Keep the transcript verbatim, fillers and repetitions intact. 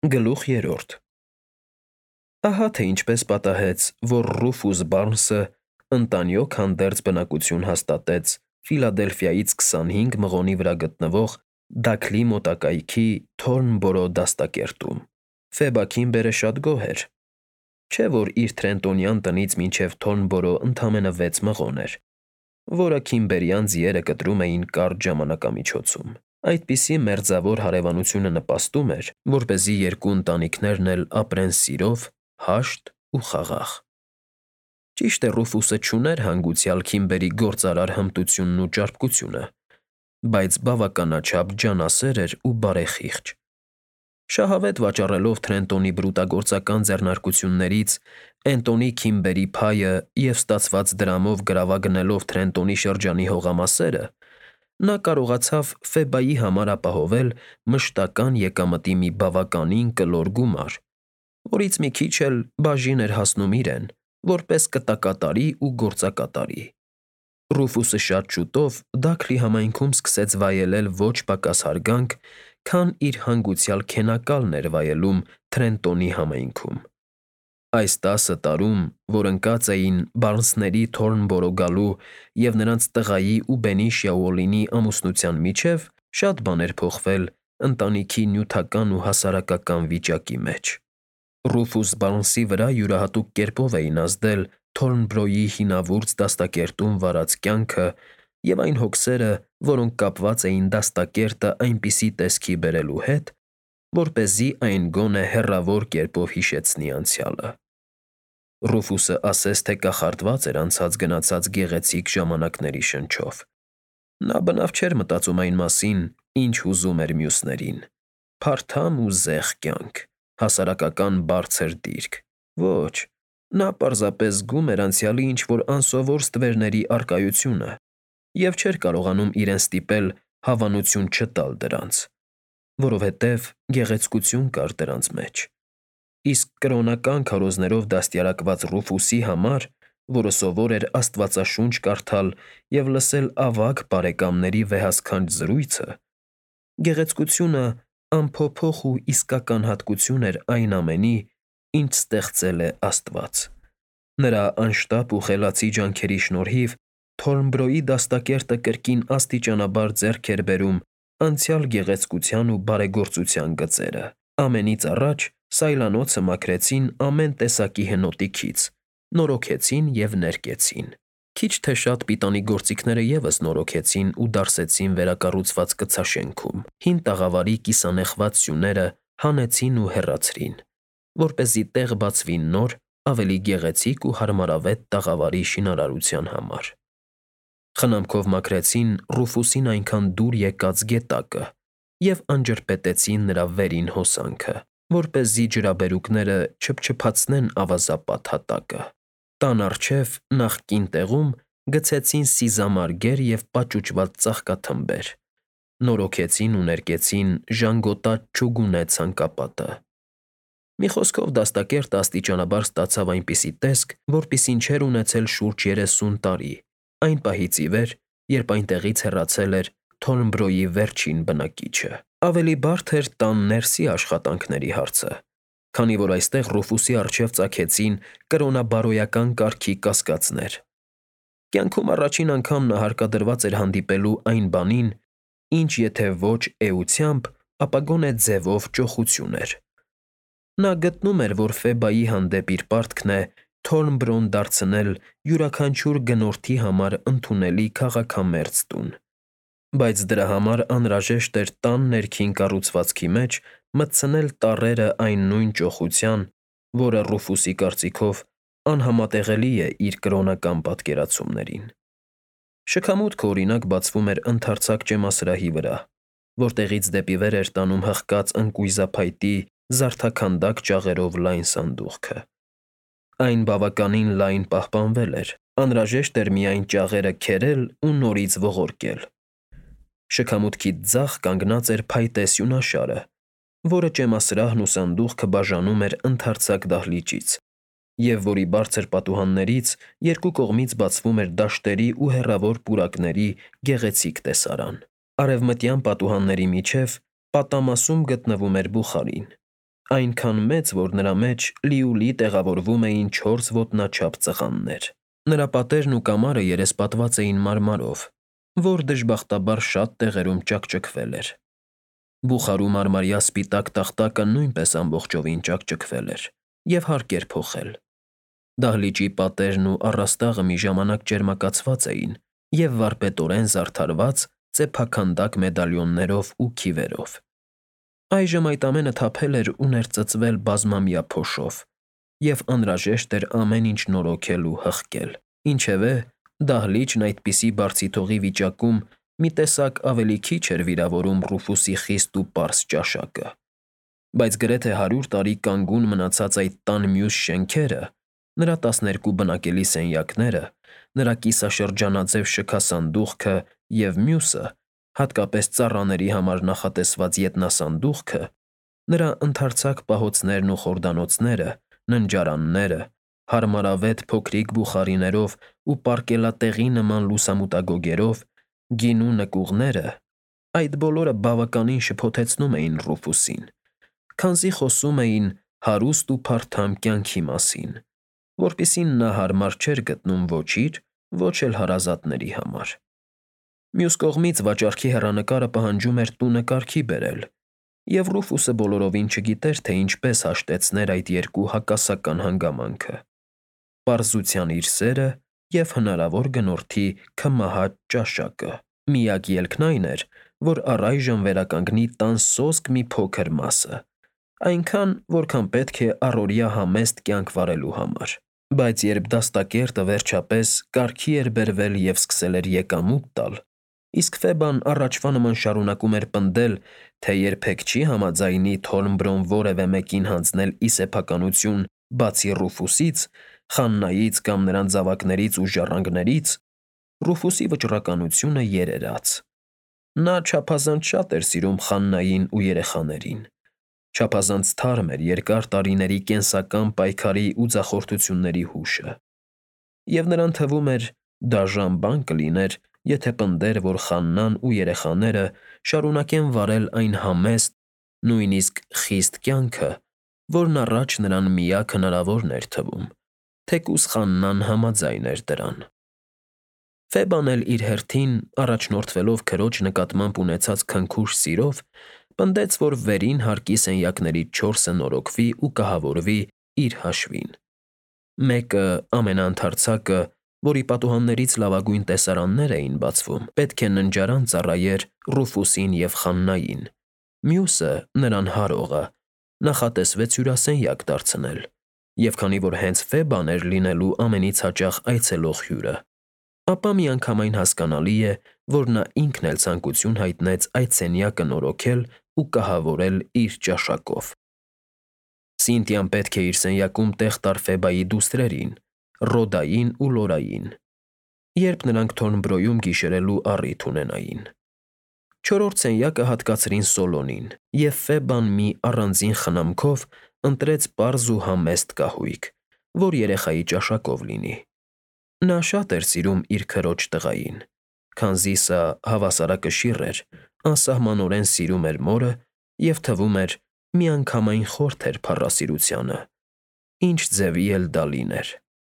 Գլուխ երրորդ Ահա թե ինչպես պատահեց, որ Ռուֆուս Բարնսը ընտանյոք հանդերձ բնակություն հաստատեց Ֆիլադելֆիայից քսանհինգ մղոնի վրա գտնվող Դաքլի մոտակայքի Թորնբորո դաստակերտում։ Ֆեբա Քիմբերը շատ գոհ էր, չէ՞ որ իր Թրենտոնյան տնից մինչև Թորնբորո ընդամենը վեց մղոն էր, որը քիմբերյան ձիերը կտրում էին կարճ ժամանակամիջոցում։ Այդպիսի մերձավոր հարևանությունը նպաստում էր, որպեսզի երկու ընտանիքներն էլ ապրեն սիրով, հաշտ ու խաղաղ։ Ճիշտ է, Ռուֆուսը չուներ հանգուցյալ Քիմբերի գործարար հմտությունն ու ճարպկությունը, բայց բավականաչափ ջանասեր էր ու բարեխիղճ։ Շահավետ վաճառելով Թրենտոնի բրուտագործական ձեռնարկություններից Էնտոնի Քիմբերի փայը և ստացված դրամով գրավագնելով Թրենտոնի շրջանի հողամասերը, նա կարողացավ Ֆեբայի համար ապահովել մշտական եկամտի մի բավականին կլոր գումար, որից մի քիչ էլ բաժին էր հասնում իրեն, որպես կտակատարի ու գործակատարի։ Ռուֆուսը շատ շուտով Դաքլի համայնքում սկսեց վայելել ոչ պակաս հարգանք, քան իր հանգուցյալ քենակալն էր վայելում Թրենտոնի համայնքում։ Այս տասը տարում, որ ընկած էին Բարնսների Թորնբորո գալու և նրանց տղայի ու Բենիշիա Ուոլլինի ամուսնության միջև, շատ բան էր փոխվել ընտանիքի նյութական ու հասարակական վիճակի մեջ։ Ռուֆուս Բարնսի վրա յուրահատուկ կերպով էին ազդել Թորնբրոյի հինավուրց դաստակերտում վարած կյանքը և այն հոգսերը, որոնք կապված էին դաստակերտը այնպիսի տեսքի բերելու հետ, որպեսզի այն գոնե հեռավոր կերպով հիշեցնի անցյալը։ Ռուֆուսը ասես թե կախարդված էր անցած֊գնացած գեղեցիկ ժամանակների շնչով։ Նա բնավ չէր մտածում այն մասին, ինչ հուզում էր մյուսներին՝ փարթամ ու զեղ կյանք, հասարակական բարձր դիրք։ Ոչ, նա պարզապես զգում էր անցյալի ինչ֊որ անսովոր ստվերների առկայությունը և չէր կարողանում իրեն ստիպել հավանություն չտալ դրանց, որովհետև գեղեցկություն կար դրանց մեջ։ Իսկ կրոնական քարոզներով դաստիարակված Ռուֆուսի համար, որը սովոր էր Աստվածաշունչ կարդալ և լսել ավագ բարեկամների վեհասքանչ զրույցը, գեղեցկությունը անփոփոխ ու իսկական հատկություն էր այն ամենի, ինչ ստեղծել է Աստված։ Նրա անշտապ ու խելացի ջանքերի շնորհիվ Թորնբրոյի դաստակերտը կրկին աստիճանաբար ձեռք էր բերում անցյալ գեղեցկության ու բարեգործության գծերը։ Ամենից առաջ սայլանոցը մաքրեցին ամեն տեսակի հնոտի քից, նորոգեցին և ներկեցին։ Քիչ թե շատ պիտանի գործիքները ևս նորոգեցին ու դարսեցին վերակառուցված կցաշենքում։ Հին տաղավարի կիսանեխված սյուները հանեցին ու հեռացրին, որպեսզի տեղ բացվի նոր, ավելի գեղեցիկ ու հարմարավետ տաղավարի շինարարության համար։ Խնամքով մաքրեցին Ռուֆուսին այնքան դուր եկած գետակը և անջրպետեցին նրա վերին հոսանքը, որպեսզի ջրաբերուկները չփչփացնեն ավազապատ հատակը։ Տան առջև նախկին տեղում գցեցին սիզամարգեր և պաճուճված ծաղկաթմբեր, նորոգեցին ու ներկեցին ժանգոտած չուգունե ցանկապատը։ Մի խոսքով դաստակերտը աստիճանաբար ստացավ այնպիսի տեսք, որպիսին չէր ունեցել շուրջ երեսուն տարի, այն պահից ի վեր, երբ այնտեղից հեռացել էր Թորնբրոյի վերջին բնակիչը։ Ավելի բարդ էր տան ներսի աշխատանքների հարցը, քանի որ այստեղ Ռուֆուսի առջև ծագեցին կրոնաբարոյական կարգի կասկածներ։ Կյանքում առաջին անգամ նա հարկադրված էր հանդիպելու այն բանին, ինչ եթե ոչ էությամբ, ապա գոնե ձևով ճոխություն էր։ Նա գտնում էր, որ Ֆեբայի հանդեպ իր պարտքն է Թորնբրոն դարձնել յուրաքանչյուր գնորդի համար ընդունելի քաղաքամերձ տուն, բայց դրա համար անհրաժեշտ էր տան ներքին կառուցվածքի մեջ մտցնել տառերը այն նույն ճոխության, որը, Ռուֆուսի կարծիքով, անհամատեղելի է իր կրոնական պատկերացումներին։ Շքամուտքը, օրինակ, բացվում էր ընդարձակ ճեմասրահի վրա, որտեղից դեպի վեր էր տանում հղկած ընկույզափայտի զարդաքանդակ ճաղերով լայն սանդուղքը։ Այն բավականին լայն պահպանվել էր, անհրաժեշտ էր միայն ճաղերը քերել ու նորից ողորկել։ Շքամուտքից ձախ կանգնած էր փայտե սյունաշարը, որը ճեմասրահն ու սանդուղքը բաժանում էր ընդարձակ դահլիճից, և որի բարձր պատուհաններից երկու կողմից բացվում էր դաշտերի ու հեռավոր պուրակների գեղեցիկ տեսարան։ Արևմտյան պատուհանների միջև պատամասում գտնվում էր բուխարին, այնքան մեծ, որ նրա մեջ լիուլի տեղավորվում էին չորս ոտնաչափ ծղաններ։ Նրա պատերն ու կամարը երեսպատված էին մարմարով, որ դժբախտաբար շատ տեղերում ճաքճքվել էր։ Բուխարու մարմարյա սպիտակ տախտակը նույնպես ամբողջովին ճաքճքվել էր և հարկ էր փոխել։ Դահլիճի պատերն ու առաստաղը մի ժամանակ ճերմակացված էին և վարպետորեն զարդարված ծեփաքանդակ մեդալիոններով ու քիվերով։ Այժմ այդ ամենը թափել էր ու ներծծվել բազմամյա փոշով, և անհրաժեշտ էր ամեն ինչ նորոգել ու հղկել։ Ինչևէ, դահլիճն այդպիսի բարձիթողի վիճակում մի տեսակ ավելի քիչ էր վիրավորում Ռուֆուսի խիստ ու պարզ ճաշակը։ Բայց գրեթե հարյուր տարի կանգուն մնացած այդ տան մյուս շենքերը, նրա տասներկու բնակելի սենյակները, նրա կիսաշրջանաձև շքասանդուղքը և մյուսը, հատկապես ծառաների համար նախատեսված ետնասանդուղքը, նրա ընդարձակ պահոցներն ու խորդանոցները, ննջարանները, հարմարավետ փոքրիկ բուխարիներով ու պարկելատեղի նման լուսամուտագոգերով, գինու նկուղները, այդ բոլորը բավականին շփոթեցնում էին Ռուֆուսին, քանզի խոսում էին հարուստ ու փարթամ կյանքի մասին, որպիսին նա հարմար չէր գտնում ոչ իր, ոչ էլ հարազատների համար։ Մյուս կողմից վաճառքի հեռանկարը պահանջում էր տունը կարգի բերել, և Ռուֆուսը բոլորովին չգիտեր, թե ինչպես հաշտեցներ այդ երկու հակասական հանգամանքը՝ պարզության իր սերը և հնարավոր գնորդի քմահաճ ճաշակը։ Միակ ելքն այն էր, որ առայժմ վերականգնի տան սոսկ մի փոքր մասը, այնքան, որքան պետք է առօրյա համեստ կյանք վարելու համար։ Բայց երբ դաստակերտը վերջապես կարգի էր բերվել և սկսել էր եկամուտ տալ, իսկ Ֆեբան առաջվա նման շարունակում էր պնդել, թե երբեք չի համաձայնի Թորնբրոն որևէ մեկին հանձնել ի սեփականություն, բացի Ռուֆուսից, Խաննայից կամ նրան զավակներից ու ժառանգներից, Ռուֆուսի վճռականությունը երերաց։ Նա չափազանց շատ էր սիրում Խաննային ու երեխաներին, չափազանց թարմ էր երկար տարիների կենսական պայքարի ու ձախորդությունների հուշը, և նրան թվում էր դաժան բան կլիներ, եթե պնդեր, որ Խաննան ու երեխաները շարունակեն վարել այն համեստ, նույնիսկ խիստ կյանքը, որն առաջ նրան միակ հնարավորն էր թվում, թեկուզ Խաննան համաձայն էր դրան։ Ֆեբան էլ իր հերթին, առաջնորդվելով քրոջ նկատմամբ ունեցած քնքուշ սիրով, պնդեց, որ վերին հարկի սենյակներից չորսը նորոգվի ու կահավորվի իր հաշվին։ Մեկը, ամենաընդարձակը, որի պատուհաններից լավագույն տեսարաններ էին բացվում, պետք է ննջարան ծառայեր Ռուֆուսին և Խաննային, մյուսը՝ նրան հարողը, նախատեսվեց հյուրասենյակ դարձնել, և քանի որ հենց Ֆեբան էր լինելու ամենից հաճախ այցելող հյուրը, ապա միանգամայն հասկանալի է, որ նա ինքն էլ ցանկություն հայտնեց այդ սենյակը նորոգել ու կահավորել իր ճաշակով։ Սինթիան պետք է իր սենյակում տեղ տար Ֆեբայի դուստրերին՝ Ռոդային ու Լորային, երբ նրանք Թորնբրոյում գիշերելու առիթ ունենային։ Չորրորդ սենյակը հատկացրին Սոլոնին, և Ֆեբան մի առանձին խնամքով ընտրեց պարզ ու համեստ կահույք, որ երեխայի ճաշակով լինի։ Նա շատ էր սիրում իր քրոջ տղային, քանզի սա հավասարակշիռ էր, անսահմանորեն սիրում էր մորը և, թվում էր, միանգամայն խորթ էր փառասիրությանը, ինչ ձևի էլ դա լիներ։